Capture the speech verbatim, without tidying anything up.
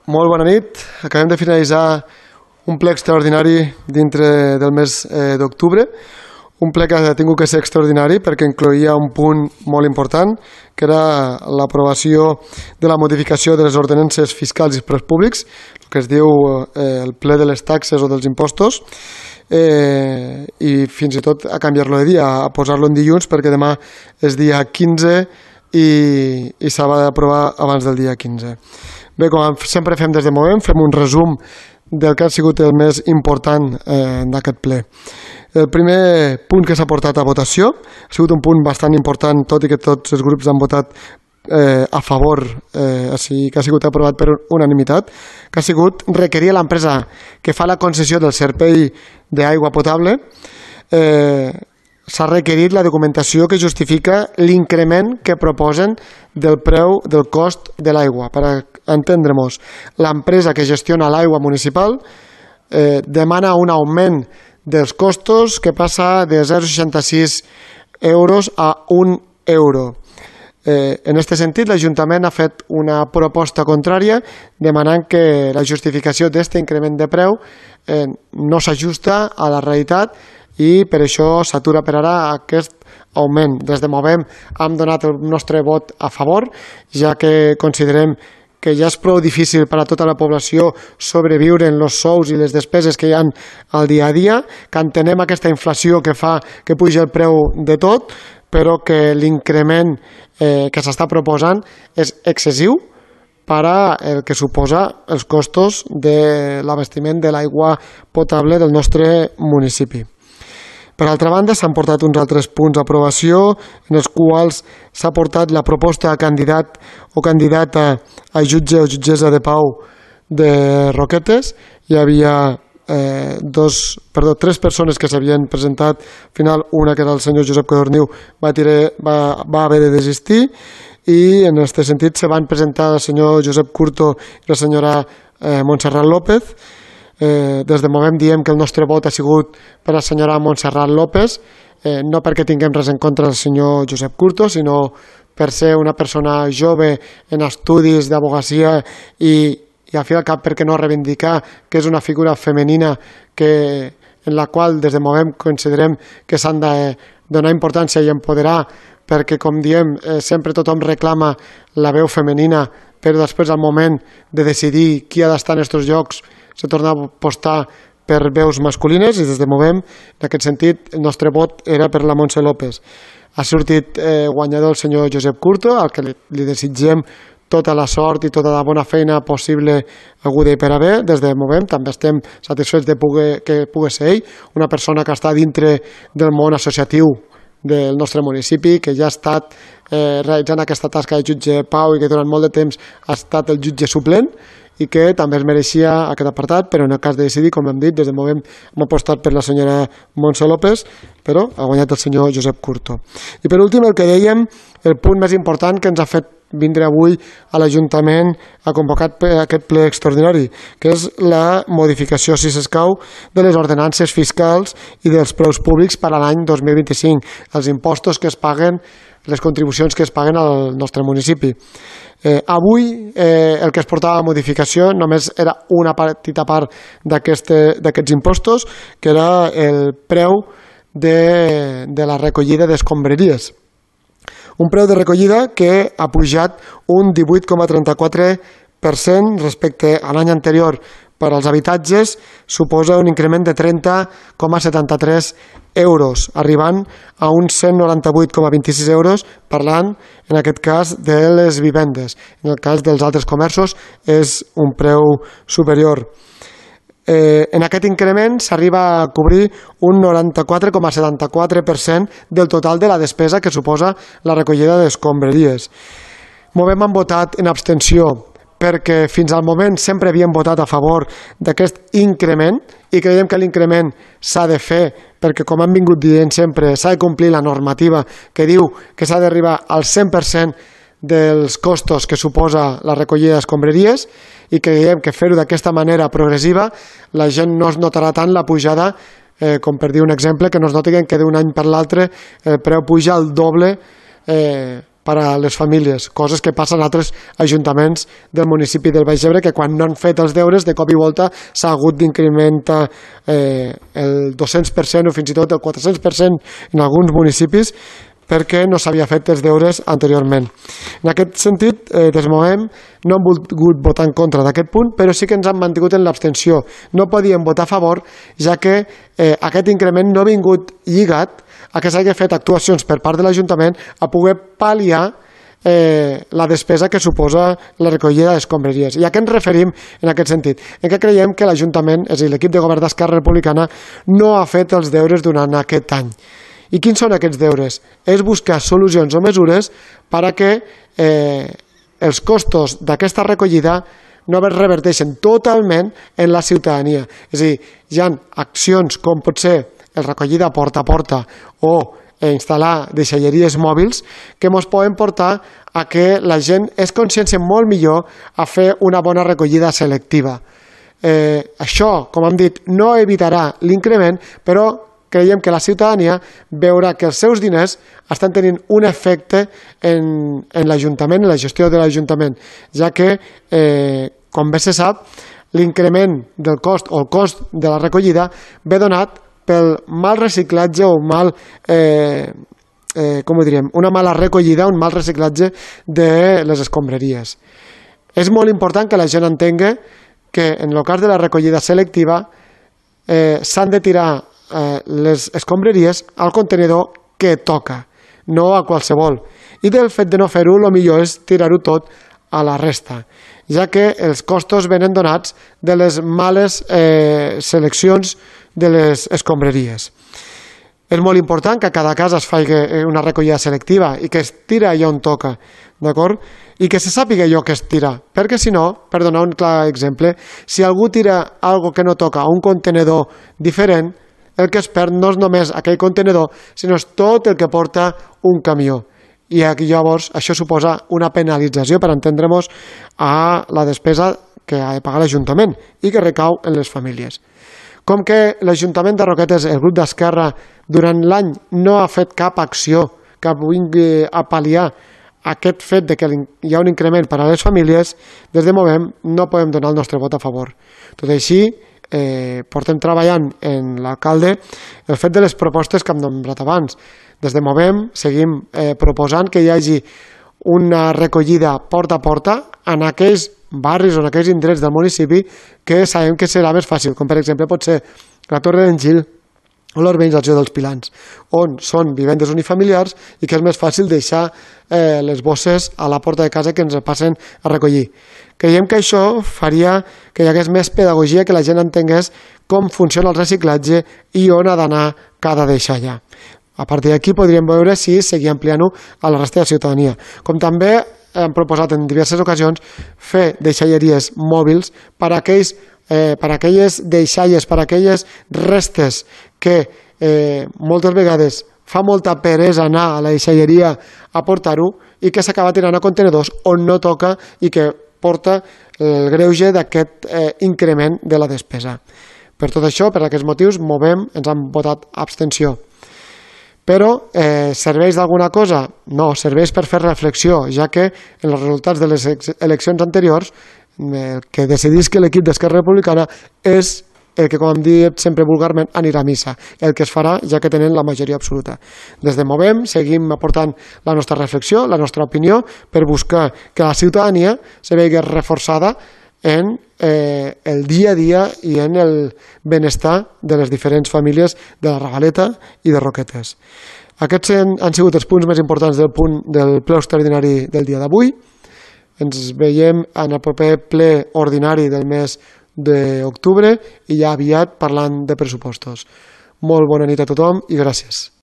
Molt bona nit. Acabem de finalitzar un ple extraordinari dintre del mes eh, d'octubre. Un ple que ha tingut que ser extraordinari perquè incloïa un punt molt important, que era l'aprovació de la modificació de les ordenances fiscals i preus públics, el que es diu eh, el ple de les taxes o dels impostos, eh, i fins i tot a canviar-lo de dia, a posar-lo en dilluns, perquè demà és dia quinze i, i s'ha d'aprovar abans del dia quinze. Bé, com sempre fem des de moment, fem un resum del que ha sigut el més important eh, d'aquest ple. El primer punt que s'ha portat a votació ha sigut un punt bastant important, tot i que tots els grups han votat eh, a favor, eh, així que ha sigut aprovat per unanimitat, que ha sigut requerir a l'empresa que fa la concessió del servei d'aigua potable, eh, s'ha requerit la documentació que justifica l'increment que proposen del preu del cost de l'aigua. Per entendre-nos, l'empresa que gestiona l'aigua municipal eh, demana un augment dels costos que passa de zero coma seixanta-sis euros a un euro. Eh, en aquest sentit, l'Ajuntament ha fet una proposta contrària demanant que la justificació d'aquest increment de preu eh, no s'ajusta a la realitat i per això s'atura per ara aquest augment. Des de Movem hem donat el nostre vot a favor, ja que considerem que ja és prou difícil per a tota la població sobreviure en els sous i les despeses que hi ha al dia a dia, que entenem aquesta inflació que fa que pugi el preu de tot, però que l'increment eh, que s'està proposant és excessiu per a el que suposa els costos de l'abastiment de l'aigua potable del nostre municipi. Per altra banda, s'han portat uns altres punts d'aprovació en els quals s'ha portat la proposta a candidat o candidata a jutge o jutgessa de pau de Roquetes. Hi havia eh, dos, perdó, tres persones que s'havien presentat. Al final, una, que era el senyor Josep Codorniu, va, tirar, va, va haver de desistir i en aquest sentit se van presentar el senyor Josep Curto i la senyora eh, Montserrat López. Eh, des de Movem diem que el nostre vot ha sigut per a la senyora Montserrat López, eh, no perquè tinguem res en contra del senyor Josep Curto, sinó per ser una persona jove en estudis d'advocacia i, i al fi al cap perquè no reivindicar que és una figura femenina que, en la qual des de Movem considerem que s'han de donar importància i empoderar, perquè com diem eh, sempre tothom reclama la veu femenina, però després al moment de decidir qui ha d'estar en aquests llocs se torna a apostar per veus masculines i des de Movem, en aquest sentit, el nostre vot era per la Montse López. Ha sortit eh, guanyador el senyor Josep Curto, al que li, li desitgem tota la sort i tota la bona feina possible aguda i per haver. Des de Movem també estem satisfets de poder, que pugui ser ell, una persona que està dintre del món associatiu del nostre municipi, que ja ha estat eh, realitzant aquesta tasca de jutge pau i que durant molt de temps ha estat el jutge suplent, i que també es mereixia aquest apartat, però en el cas de decidir, com hem dit, des de Movem hem apostat per la senyora Montse López, però ha guanyat el senyor Josep Curto. I per últim, el que dèiem, el punt més important que ens ha fet vindre avui a l'Ajuntament a convocar aquest ple extraordinari, que és la modificació, si s'escau, de les ordenances fiscals i dels preus públics per a l'any dos mil vint-i-cinc, els impostos que es paguen, les contribucions que es paguen al nostre municipi. Eh, avui eh, el que es portava a modificació només era una petita part d'aquests impostos, que era el preu de, de la recollida d'escombraries. Un preu de recollida que ha pujat un divuit coma trenta-quatre per cent respecte a l'any anterior. Per als habitatges suposa un increment de trenta coma setanta-tres euros, arribant a uns cent noranta-vuit coma vint-i-sis euros, parlant en aquest cas de les vivendes. En el cas dels altres comerços és un preu superior. Eh, en aquest increment s'arriba a cobrir un noranta-quatre coma setanta-quatre per cent del total de la despesa que suposa la recollida d'escombraries. Movem han votat en abstenció perquè fins al moment sempre havíem votat a favor d'aquest increment i creiem que l'increment s'ha de fer perquè, com hem vingut dient sempre, s'ha de complir la normativa que diu que s'ha d'arribar al cent per cent dels costos que suposa la recollida d'escombraries i creiem que fer-ho d'aquesta manera progressiva la gent no es notarà tant la pujada, eh, com per dir un exemple, que no es noti que d'un any per l'altre el preu puja al doble eh, per a les famílies, coses que passen a altres ajuntaments del municipi del Baix Ebre, que quan no han fet els deures, de cop i volta s'ha hagut d'incrementar eh, el dos-cents per cent o fins i tot el quatre-cents per cent en alguns municipis, perquè no s'havia fet els deures anteriorment. En aquest sentit, eh, des Movem no hem volgut votar en contra d'aquest punt, però sí que ens han mantingut en l'abstenció. No podíem votar a favor, ja que eh, aquest increment no ha vingut lligat a que s'hagi fet actuacions per part de l'Ajuntament a poder pal·liar eh, la despesa que suposa la recollida d'escombraries. I a què ens referim en aquest sentit? En què creiem que l'Ajuntament, és a dir, l'equip de govern d'Esquerra Republicana, no ha fet els deures durant aquest any. I quins són aquests deures? És buscar solucions o mesures per a que eh, els costos d'aquesta recollida no es reverteixen totalment en la ciutadania. És a dir, hi ha accions com pot ser el recollida porta a porta o instal·lar deixalleries mòbils que ens poden portar a que la gent es conscienci molt millor a fer una bona recollida selectiva. Eh, això, com hem dit, no evitarà l'increment, però creiem que la ciutadania veurà que els seus diners estan tenint un efecte en, en l'Ajuntament, en la gestió de l'Ajuntament, ja que, eh, com bé se sap, l'increment del cost o el cost de la recollida ve donat pel mal reciclatge o mal, eh, eh, com ho diríem, una mala recollida, un mal reciclatge de les escombraries. És molt important que la gent entengui que en el cas de la recollida selectiva eh, s'han de tirar eh, les escombraries al contenidor que toca, no a qualsevol. I del fet de no fer-ho, el millor és tirar-ho tot a la resta, ja que els costos venen donats de les males eh, seleccions de les escombraries. És molt important que a cada casa es faci una recollida selectiva i que es tira allò on toca, d'acord? I que se sàpiga allò que es tira, perquè si no, per donar un clar exemple, si algú tira algo que no toca a un contenedor diferent, el que es perd no és només aquell contenedor, sinó és tot el que porta un camió. I llavors això suposa una penalització, per entendre-nos, a la despesa que ha de pagar l'Ajuntament i que recau en les famílies. Com que l'Ajuntament de Roquetes, el grup d'Esquerra, durant l'any no ha fet cap acció que vingui a pal·liar aquest fet de que hi ha un increment per a les famílies, des de Movem no podem donar el nostre vot a favor. Tot i així, eh, portem treballant en l'alcalde el fet de les propostes que hem nombrat abans. Des de Movem seguim eh, proposant que hi hagi una recollida porta a porta en aquells barris o en aquells indrets del municipi que sabem que serà més fàcil, com per exemple pot ser la Torre d'en Gil o l'urbanització dels Pilans, on són vivendes unifamiliars i que és més fàcil deixar eh, les bosses a la porta de casa que ens passen a recollir. Creiem que això faria que hi hagués més pedagogia, que la gent entengués com funciona el reciclatge i on ha d'anar cada deixalla. A partir d'aquí podríem veure si seguir ampliant-ho a la resta de la ciutadania. Com també hem proposat en diverses ocasions fer deixalleries mòbils per a aquells, eh, per a aquelles deixalles, per a aquelles restes que eh, moltes vegades fa molta peresa anar a la deixalleria a portar-ho i que s'acaba tirant a contenedors on no toca i que porta el greuge d'aquest eh, increment de la despesa. Per tot això, per aquests motius, Movem, ens han votat abstenció. Però eh, serveix d'alguna cosa? No, serveix per fer reflexió, ja que en els resultats de les eleccions anteriors el que decidís que l'equip d'Esquerra Republicana és el que, com hem dit sempre vulgarment, anirà a missa, el que es farà ja que tenen la majoria absoluta. Des de Movem seguim aportant la nostra reflexió, la nostra opinió, per buscar que la ciutadania se vegi reforçada en eh, el dia a dia i en el benestar de les diferents famílies de la Regaleta i de Roquetes. Aquests han, han sigut els punts més importants del punt del ple extraordinari del dia d'avui. Ens veiem en el proper ple ordinari del mes d'octubre i ja aviat parlant de pressupostos. Molt bona nit a tothom i gràcies.